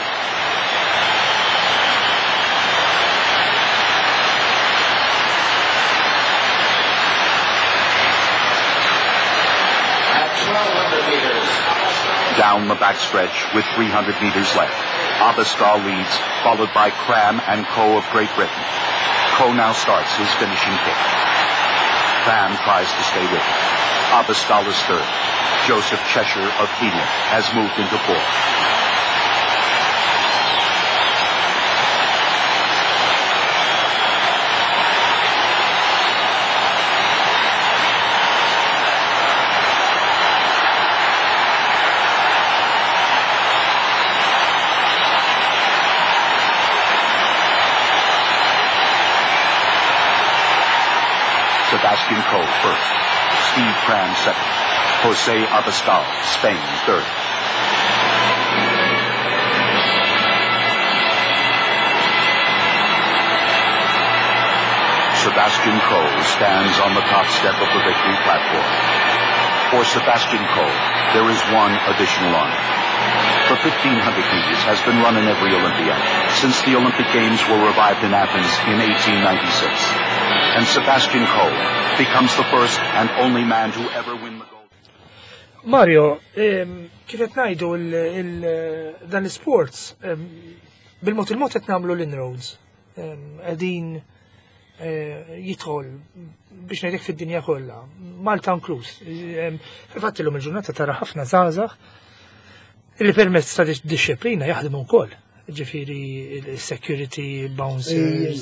Speaker 4: Down the backstretch with 300 meters left, Abascal leads, followed by Cram and Coe of Great Britain. Coe now starts his finishing kick. Cram tries to stay with him. Abascal is third. Joseph Cheshire of Kenya has moved into fourth. Sebastian Coe first, Steve Cram second, Jose Abascal, Spain third. Sebastian Coe stands on the top step of the victory platform. For Sebastian Coe, there is one additional honor. The 1500 meters has been run in every Olympiad since the Olympic Games were revived in Athens in 1896. And Sebastian Coe becomes the first and only man to ever win the gold.
Speaker 1: Mario, kif qed ngħidu dan l-sports bil-mod il-mod qed nagħmlu l-inroads. Qegħdin jidħol biex ngħidlek fid-dinja kollha, Malta inkluż. Fil-fatt illum il-ġurnata tara ħafna żgħażagħ li permezz ta' dixxiplina jaħdmu wkoll. Ġifieri il-security bouncers.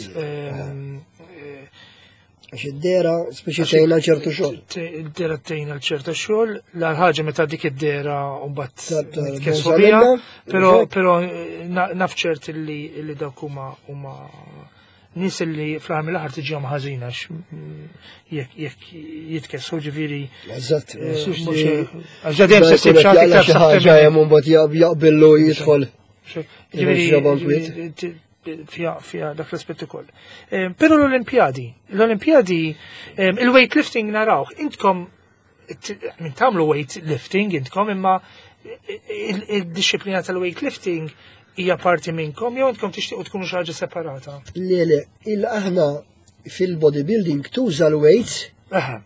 Speaker 2: Għax id-dehra speċi tgħinna ċertu xogħol.
Speaker 1: Id-dehra tgħinna ċertu xogħol, l-ħaġa meta dik id-dehra mbagħad nitkessru biha, però naf ċert li dawk huma nies li fl-aħħar mill-aħħar tiġihom ħażina jekk jitkessru, ġifieri.
Speaker 2: Eżatt,
Speaker 1: għax dejjem se ssib xi
Speaker 2: ħaġa ħaġa hemm mbagħad jaqbillu jidħol.
Speaker 1: Ġifieri fija dak l-aspett ukoll. Però l-Olimpjadi, il-weightlifting narawh, intkom minn tagħmlu weightlifting intkom, imma il-disciplina tal-weightlifting hija parti minnkom jew intkom tixtiequ tkunu xi ħaġa separata?
Speaker 2: Le, il aħna fil-bodybuilding tuża l-weights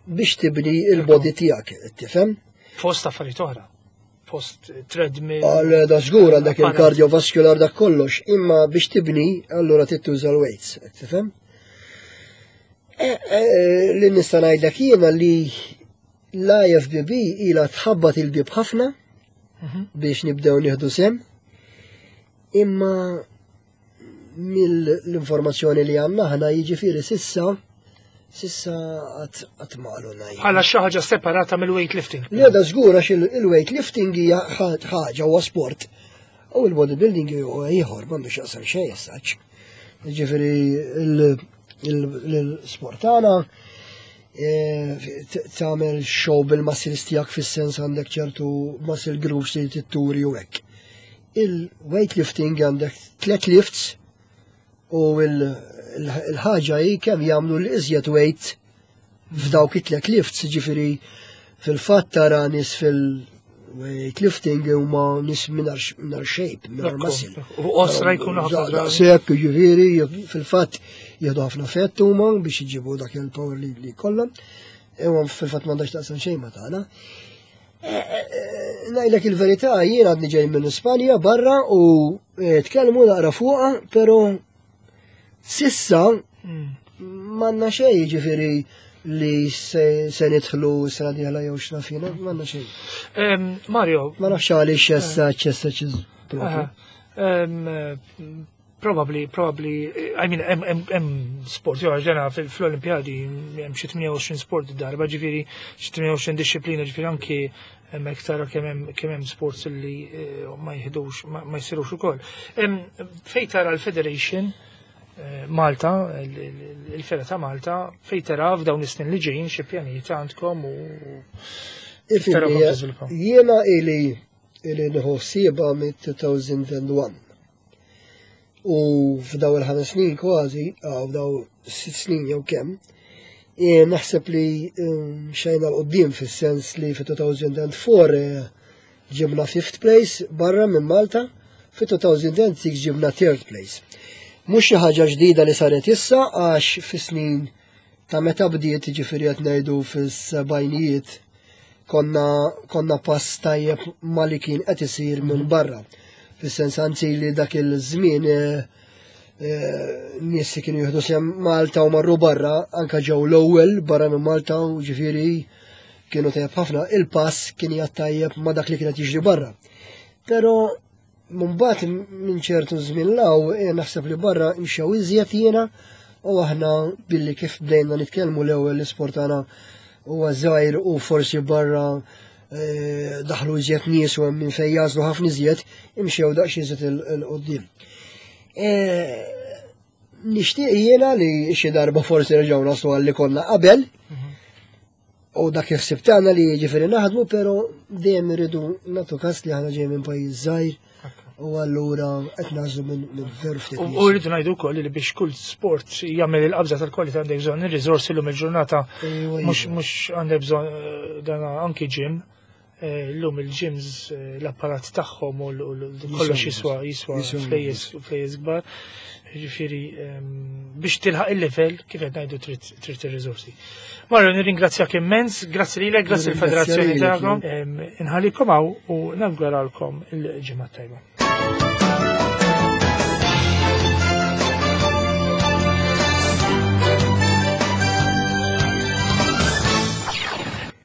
Speaker 2: biex tibni il-body tiegħek, tifhem?
Speaker 1: Fost affarijiet oħra. Post treadmill.
Speaker 2: Għal da żgur għandek il-cardiovascular, dak kollox, imma biex tibni allura tituża l-weights, tifhem? Li nista' ngħidlek jiena li l-IFBB ila tħabbat il-bib ħafna biex nibdew nieħdu sehem, imma mill-informazzjoni li għandna aħna, jiġifieri s'issa għad m'għalunna.
Speaker 1: Bħala xi ħaġa separata mill-weightlifting.
Speaker 2: Li għada żgur, għax il-weightlifting hija ħaġa, huwa sport. U il-bodybuilding huwa ieħor, m'għandu x'jaqsam xejn essaċ. Ġifieri l-sport tagħna tagħmel show bil-muscles tiegħek, fis-sens għandek ċertu muscle groups li titturi u hekk. Il-weightlifting għandek tlet lifts u il-ħaġa hi kemm jagħmlu l-iżjed weight f'dawk it-tlet lifts, ġifieri fil-fatt tara nies fil-weightlifting huma nies mingħajr shape, mingħajr muscle.
Speaker 1: U qosra jkunu ħafna drabi.
Speaker 2: Sekk, ġifieri, fil-fatt jieħdu ħafna fett huma biex jġibu dak il-power li kollha. Imma fil-fatt m'għandax taqsam xejn ma tagħna. Ngħidlek il-verità, jien għadni ġej minn Ispanja barra u tkellmu naqra fuqha, però s'issa m'għandna xejn, ġifieri li se nidħlu sena dieħla jew x'naf jiena, m'għandna xejn.
Speaker 1: Mario.
Speaker 2: Ma nafx għaliex essa ċessa ċiż propju.
Speaker 1: Probably, I mean, hemm sport, jo, ġena fl-Olimpjadi hemm xi 28 sport darba, ġifieri xi 28 disciplina, ġifieri anki hemmhekk tara kemm hemm sports li ma jieħdux, ma jsirux ukoll. Fejn tara l-Federation Malta, il-Fera ta' Malta, fejn tara f'dawn is-snin li ġejjin, xi pjanijiet għandkom u kif tara
Speaker 2: Ifimni,
Speaker 1: kom tiżviluppaw?
Speaker 2: Jiena ili nieħu ħsiebha mit-2001. U f'daw il-5 snin kważi, għaw f'daw 6 snin jew kemm, naħseb li xejna 'l quddiem, fis-sens li fi 2004 ġibna fifth place barra minn Malta, fi 2006 ġibna third place. Mhux xi ħaġa ġdida li saret issa, għax fi snin ta' meta bdiet, ġifieri qed ngħidu fis-sebgħinijiet, konna pass tajjeb ma li kien qed isir minn barra. Fis-sens anzi li dak il-żmien nies li kienu jieħdu sehem Malta u marru barra, anka ġew l-ewwel barra minn Malta u ġifieri kienu tajjeb ħafna, il-pass kien jgħat tajjeb ma dak li kienet jiġri barra. Però mbagħad minn ċertu żmien law naħseb li barra mxew iżjed jiena u aħna billi kif bdejna nitkellmu l-ewwel l-isport tagħna huwa żgħir u forsi barra daħlu iżjed nies u hemm minn fejn jażlu ħafna iżjed, imxew daqs iżjed 'il quddiem. Nixtieq jiena li xi darba forsi nerġgħu naslu għal li konna qabel. U dak il-ħsieb tagħna li ġifieri naħdmu, però dejjem irridu nagħtu każ li aħna ġej minn pajjiż żgħir u allura qed nażlu minn veru ftit nies.
Speaker 1: U rridu ngħidu wkoll li biex kull sport jagħmel il-qabża tal-kwalità għandek bżonn ir-riżorsi llum il-ġurnata, mhux għandek bżonn dan anki gym. Illum il-gyms l-apparat tagħhom u kollox jiswa jiswa flejjes flejjes kbar. Ġifieri biex tilħaq il-level kif qed ngħidu trid ir-riżorsi. Mario, nirringrazzjak immens, grazzi lilek, grazzi l-federazzjoni tagħkom. Inħallikom hawn u nawguralkom il-ġimgħa tajba.